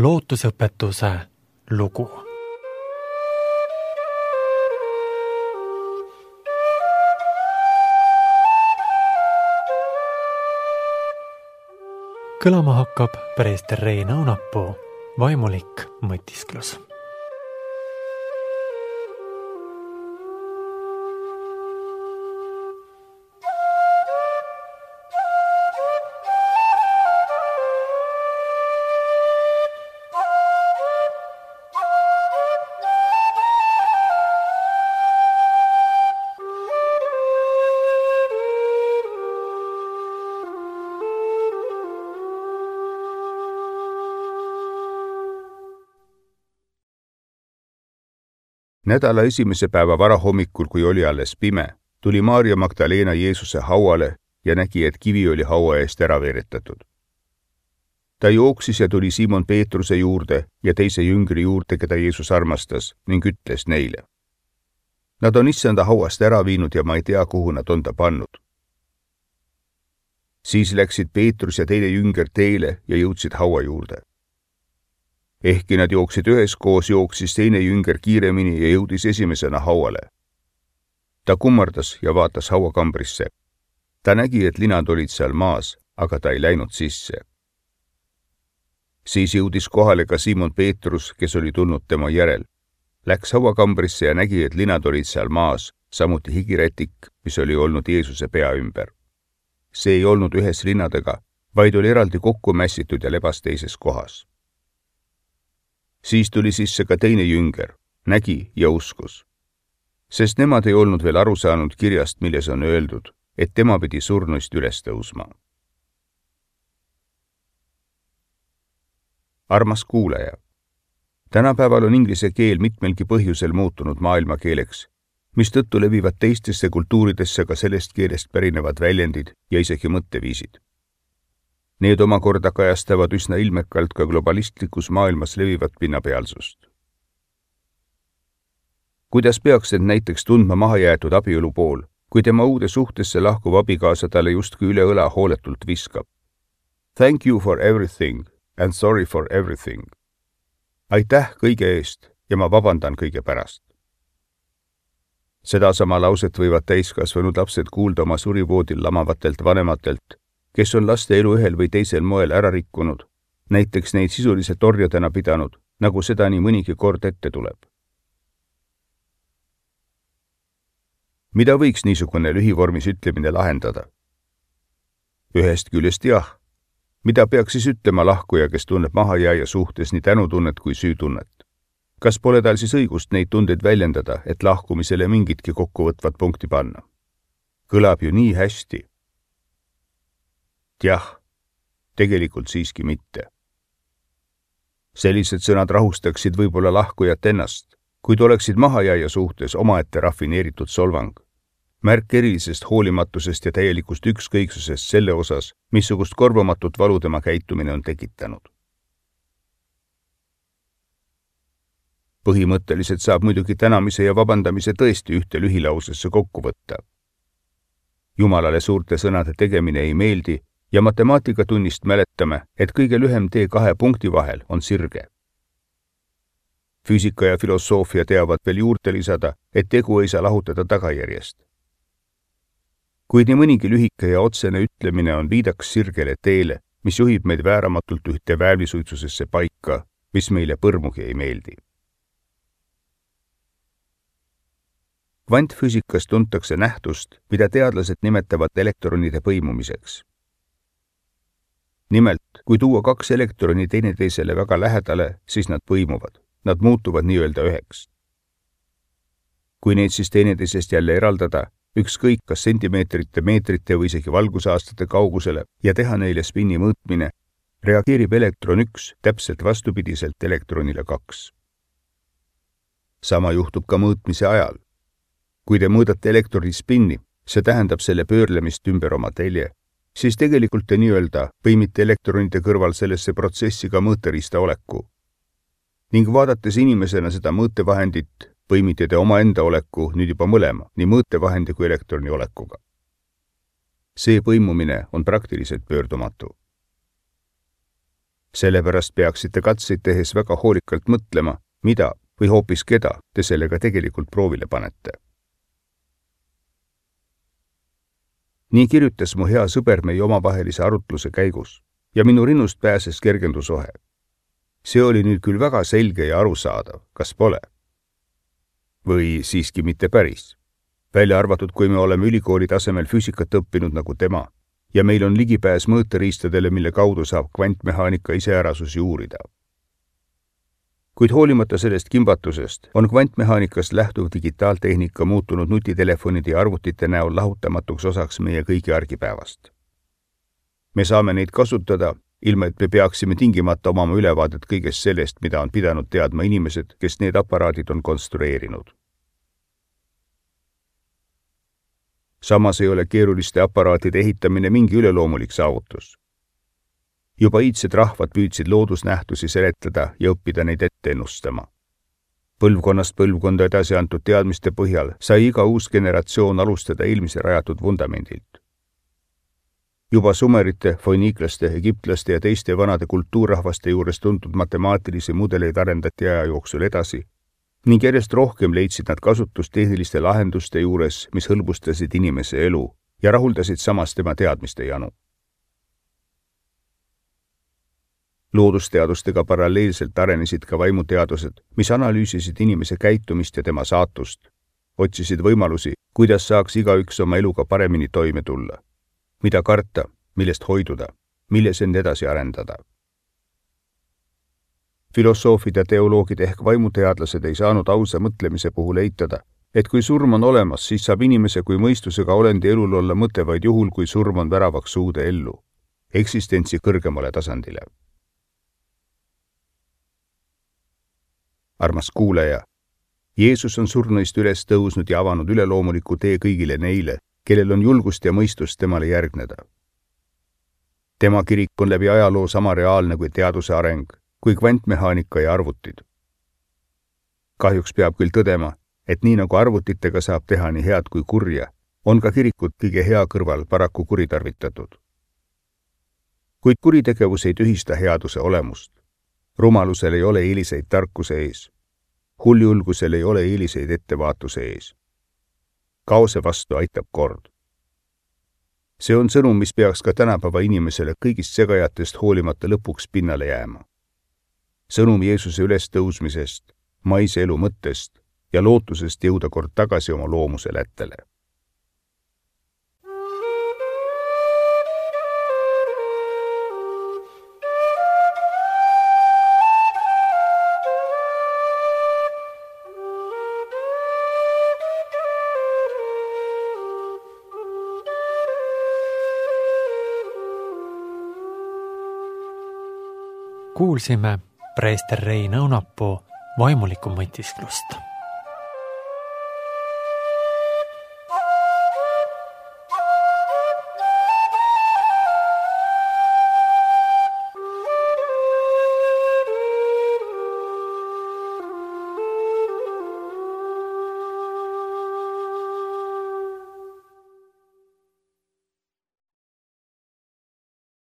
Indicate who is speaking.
Speaker 1: lootusõpetuse lugu. Kõlama hakkab preester Rein Aunapuu vaimulik mõtisklus.
Speaker 2: Nädala esimese päeva varahommikul, kui oli alles pime, tuli Maarja Magdalena Jeesuse hauale ja nägi, et kivi oli haua eest ära veeretatud. Ta jooksis ja tuli Simon Peetruse juurde ja teise jüngri juurde, keda Jeesus armastas, ning ütles neile: Nad on issanda hauast ära viinud ja ma ei tea, kuhu nad on ta pannud. Siis läksid Peetrus ja teine jünger teele ja jõudsid haua juurde. Ehkki nad jooksid üheskoos, jooksis teine jünger kiiremini ja jõudis esimesena hauale. Ta kummardas ja vaatas hauakambrisse. Ta nägi, et linad olid seal maas, aga ta ei läinud sisse. Siis jõudis kohale ka Simon Peetrus, kes oli tulnud tema järel. Läks hauakambrisse ja nägi, et linad olid seal maas, samuti higirätik, mis oli olnud Jeesuse pea ümber. See ei olnud ühes linnadega, vaid oli eraldi kokku mässitud ja lebas teises kohas. Siis tuli sisse ka teine jünger, nägi ja uskus. Sest nemad ei olnud veel aru saanud kirjast, milles on öeldud, et tema pidi surnuist üles tõusma. Armas kuulaja, tänapäeval on inglise keel mitmelgi põhjusel muutunud maailmakeeleks, mistõttu levivad teistesse kultuuridesse ka sellest keelest pärinevad väljendid ja isegi mõtteviisid. Need omakorda kajastavad üsna ilmekalt ka globalistlikus maailmas levivat pinnapealsust. Kuidas peaks end näiteks tundma mahajäetud abielu pool, kui tema uude suhtesse lahkuv abikaasa talle justkui üle õla hooletult viskab? Thank you for everything and sorry for everything. Aitäh kõige eest ja ma vabandan kõige pärast. Sedasama lauset võivad täiskasvanud lapsed kuulda oma surivoodil lamavatelt vanematelt, kes on laste elu ühel või teisel moel ära rikkunud, näiteks neid sisuliselt orjadena pidanud, nagu seda nii mõnigi kord ette tuleb. Mida võiks niisugune lühivormis ütlemine lahendada? Ühest küljest jah. Mida peaks siis ütlema lahkuja, kes tunneb mahajääja suhtes nii tänutunnet kui süütunnet? Kas pole tal siis õigust neid tundeid väljendada, et lahkumisele mingitki kokkuvõtvat punkti panna? Kõlab ju nii hästi. Jah, tegelikult siiski mitte. Sellised sõnad rahustaksid võib-olla lahkujat ennast, kuid oleksid mahajääja suhtes omaette rafineeritud solvang. Märk erilisest hoolimatusest ja täielikust ükskõiksusest selle osas, missugust korvamatut valu tema käitumine on tekitanud. Põhimõtteliselt saab muidugi tänamise ja vabandamise tõesti ühte lühilausesse kokku võtta. Jumalale suurte sõnade tegemine ei meeldi, ja matemaatikatunnist mäletame, et kõige lühem tee kahe punkti vahel on sirge. Füüsika ja filosoofia teavad veel juurde lisada, et tegu ei saa lahutada tagajärjest. Kuid nii mõnigi lühike ja otsene ütlemine on viidaks sirgele teele, mis juhib meid vääramatult ühte väävlisuitsusesse paika, mis meile põrmugi ei meeldi. Kvantfüüsikas tuntakse nähtust, mida teadlased nimetavad elektronide põimumiseks. Nimelt, kui tuua kaks elektroni teineteisele väga lähedale, siis nad põimuvad. Nad muutuvad nii-öelda üheks. Kui neid siis teineteisest jälle eraldada, ükskõik kas sentimeetrite, meetrite või isegi valgusaastate kaugusele ja teha neile spinni mõõtmine, reageerib elektron 1 täpselt vastupidiselt elektronile 2. Sama juhtub ka mõõtmise ajal. Kui te mõõdate elektroni spinni, see tähendab selle pöörlemist ümber oma telje, siis tegelikult te nii-öelda põimite elektronide kõrval sellesse protsessi ka mõõteriista oleku. Ning vaadates inimesena seda mõõtevahendit, põimite te omaenda oleku nüüd juba mõlema, nii mõõtevahendi kui elektroni olekuga. See põimumine on praktiliselt pöördumatu. Sellepärast peaksite katseid tehes väga hoolikalt mõtlema, mida või hoopis keda te sellega tegelikult proovile panete. Nii kirjutas mu hea sõber meie omavahelise arutluse käigus ja minu rinnust pääses kergendusohe. See oli nüüd küll väga selge ja arusaadav, kas pole? Või siiski mitte päris. Välja arvatud, kui me oleme ülikooli tasemel füüsikat õppinud nagu tema ja meil on ligipääs mõõteriistadele, mille kaudu saab kvantmehaanika iseärasusi uurida. Kuid hoolimata sellest kimbatusest on kvantmehaanikast lähtuv digitaaltehnika muutunud nutitelefonide ja arvutite näol lahutamatuks osaks meie kõigi argipäevast. Me saame neid kasutada, ilma et me peaksime tingimata omama ülevaadet kõigest sellest, mida on pidanud teadma inimesed, kes need aparaadid on konstrueerinud. Samas ei ole keeruliste aparaatide ehitamine mingi üleloomulik saavutus. Juba iidsed rahvad püüdsid loodusnähtusi seletada ja õppida neid ette ennustama. Põlvkonnast põlvkonda edasi antud teadmiste põhjal sai iga uus generatsioon alustada eelmise rajatud vundamendilt. Juba sumerite, foiniiklaste, egiptlaste ja teiste vanade kultuurrahvaste juures tuntud matemaatilisi mudeleid arendati aja jooksul edasi ning järjest rohkem leidsid nad kasutust tehniliste lahenduste juures, mis hõlbustasid inimese elu ja rahuldasid samas tema teadmiste janu. Loodusteadustega paralleelselt arenesid ka vaimuteadused, mis analüüsisid inimese käitumist ja tema saatust, otsisid võimalusi, kuidas saaks igaüks oma eluga paremini toime tulla, mida karta, millest hoiduda, milles end edasi arendada. Filosoofid ja teoloogid ehk vaimuteadlased ei saanud ausa mõtlemise puhul eitada, et kui surm on olemas, siis saab inimese kui mõistusega olendi elul olla mõte vaid juhul, kui surm on väravaks uude ellu, eksistentsi kõrgemale tasandile. Armas kuulaja, Jeesus on surnuist üles tõusnud ja avanud üleloomuliku tee kõigile neile, kellel on julgust ja mõistust temale järgneda. Tema kirik on läbi ajaloo sama reaalne kui teaduse areng, kui kvantmehaanika ja arvutid. Kahjuks peab küll tõdema, et nii nagu arvutitega saab teha nii head kui kurja, on ka kirikut kõige hea kõrval paraku kuritarvitatud. Kuid kuritegevus ei tühista headuse olemust. Rumalusel ei ole eeliseid tarkuse ees. Huljulgusel ei ole eeliseid ettevaatuse ees. Kaose vastu aitab kord. See on sõnum, mis peaks ka tänapäeva inimesele kõigist segajatest hoolimata lõpuks pinnale jääma. Sõnum Jeesuse ülestõusmisest, maise elu mõttest ja lootusest jõuda kord tagasi oma loomuse lättele.
Speaker 1: Kuulsime preester Reina Õunapuu vaimulikku mõtisklust.